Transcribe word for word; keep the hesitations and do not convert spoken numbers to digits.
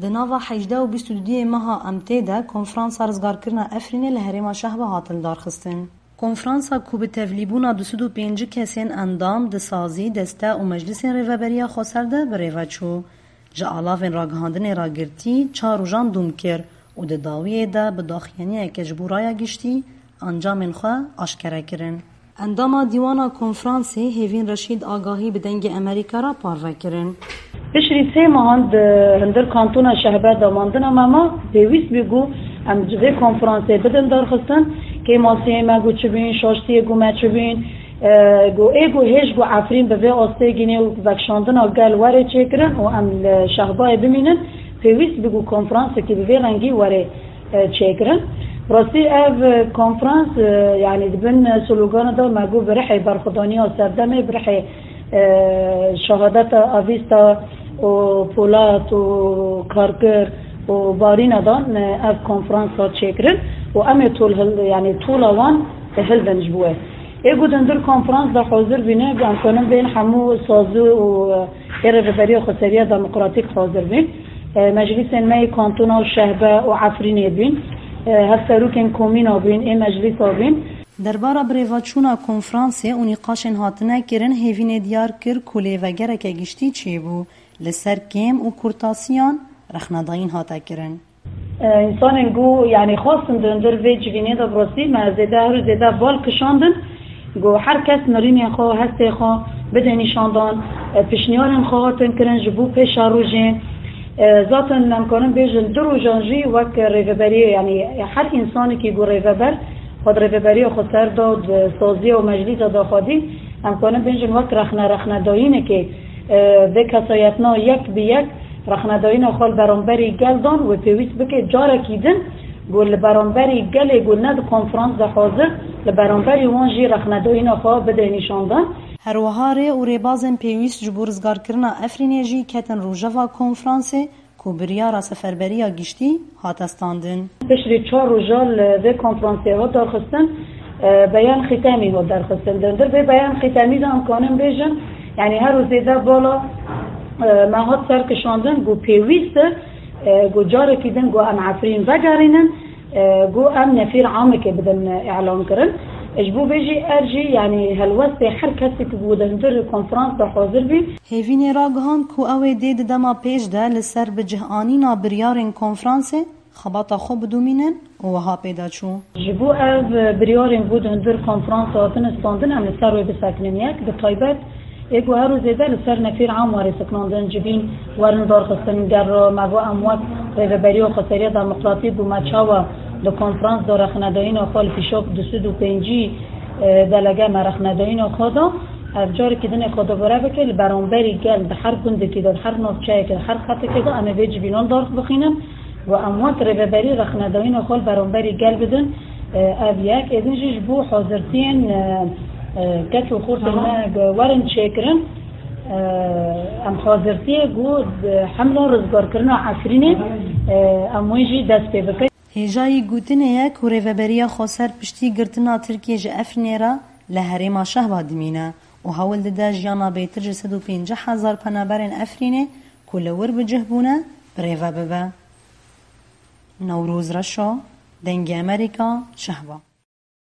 Di nava hejdeh û bîst û duyê meha M T de konferansa rizgarkirina Efrînê li herêma Şehba hat lidarxistin. Konferansa ku bi tevlîbûna du sed û pêncî kesên endam di sazî, deste û meclisên rêveberiya xweser de bi rêve çû. Ji alavên ragihandinê re girtî çar rojan dûm kir û di dawiyê de bi daxuyaniyeke ji bo raya giştî encamên xwe aşkere kirin. Endama Dîwana Konferansê Hêvîn Reşîd agahî bi Dengê Amerîka re parve kirin. Piştî sê mehan di hundir kantona Şehbe damandina me ma, pêwîst bû ku em ji vê konferansê bidin darxistin, kê masiyê me ku çi bûn, şaştiyê ku me çi bûn, e, ku ê ku hêj ku Efrîn bi vê astê gînê û vekşandina gel were çêkirin û em li Şehbayê bimînin, pêwîst bû ku konferansekî bi vê rengî were e, çêkirin. Rastî ev, e, konferans, e, yanî di bin, e, slogana de me got bi rihê berxwedaniya serdemê, bi rihê, e, şehadeta avîsta û polat û karkir û barîna de, e, ev konferans hat çêkirin û em ê tol hil-, yanî tola wan hildin ji bo wê. Ê ku di hundir konferans de hazir bîne, em kanin bên hemû sazû û, e, ê Rêveberiya Xweseriya Demokratîk hazir bîn. E, meclîsên me yê kantona û Şehbe û Efrînê bîn. E, hevserokên komîna bîn, ê meclîsa bîn. Derbara birêveçûna konferansê û nîqaşên hatine kirin, Hêvînê diyar kir ku lêvegereke giştî çêbû li ser kêm û kurtasiyan, rexnedayîn hate kirin. E, însanên ku, yanî, xwestin di hundir vê civînê de bi rastî me zêde, her û zêde bal kişandin ku her kes mirînên xwe, hestê xwe bide nîşandan, e, pişniyarên xwe hatin kirin ji bo pêşerojê. E, zaten em karin bêjin du rojan jî wek rêveberiyê, yanî her însanekî ku rêveber xwe di rêveberiya xwe ser de, di saziya û meclîsa de xwedî, em karin bêjin wek rexne, rexnedayînekê, e, vê kesayetna yek bi yek rexnedayîna xwe li beramberî gel dan, wê pêwîst bike carekî din ku li beramberî gelê ku ne di konferans de hazir, li beramberî wan jî rexnedayîna xwe bide nîşandan. Her wiha rê û rêbazên pêwîst ji bo rizgarkirina Efrînê jî ketin rojeva konferansê ku biryara seferberiya giştî hate standin. Piştî çar roja li vê konferansê hat darxistin, e, beyan xîtemî hat derxistin. Di hundir vê beyan xîtemî de em kanin bêjin, yanî her û zêde bala, e, me hat serkişandin ku pêwîst e, e, ku carekî din ku em Efrîn vegerînin, e, ku em nefîr amekê bidin îlan kirin. Ji bo vê jî ev jî, yanî helwestê her kesê ku di hundir konferans de hazir bî. Hêvînê ragihand ku ew ê dê di dema pêş de li ser bi cih anîna biryarên konferansê xebata xwe bidomînin û wiha pê de çû. Ji bo ev biryarên ku di hundir konferans de hatin standin, em li ser wê bisekinin yek, bi taybet ê ku her û zêde li ser nefîr am were seknandin, civîn werin darxistin, ger me got em wek Rêveberiya Xweseriya Demokratîk û me çawa di konferans de rexnedayîna xwe li pîşok du sed û pêncî, e, delege me rexnedayîna xwe da. Ev carekî din ê xwe dubare bike, li beramberî gel di her gundekî de, di her navçeyekê, di her xetekê de em ê vê civînan darx bixînin. Û em wek rêveberî rexnedayîna xwe li beramberî gel bidin. E, ev yek. Êdin jî ji bo hazirtiyên, e, e, keç û xortên me ku werin çêkirin, e, em hazirtiyê ku di hemla rizgarkirina Efrînê, e, em wê jî dest pê bikin. Hêjayî gotinê ye ku Rêveberiya Xweser piştî girtina Tirkiyê ji Efrînê re li herêma Şehba dimîne û hewl dide jiyana bêtir ji sed û pêncî hezar penaberên Efrînê ku li wir bi cih bûne, bi rêve bibe. Newroz Reşo, Dengê Amerîka, Şehba.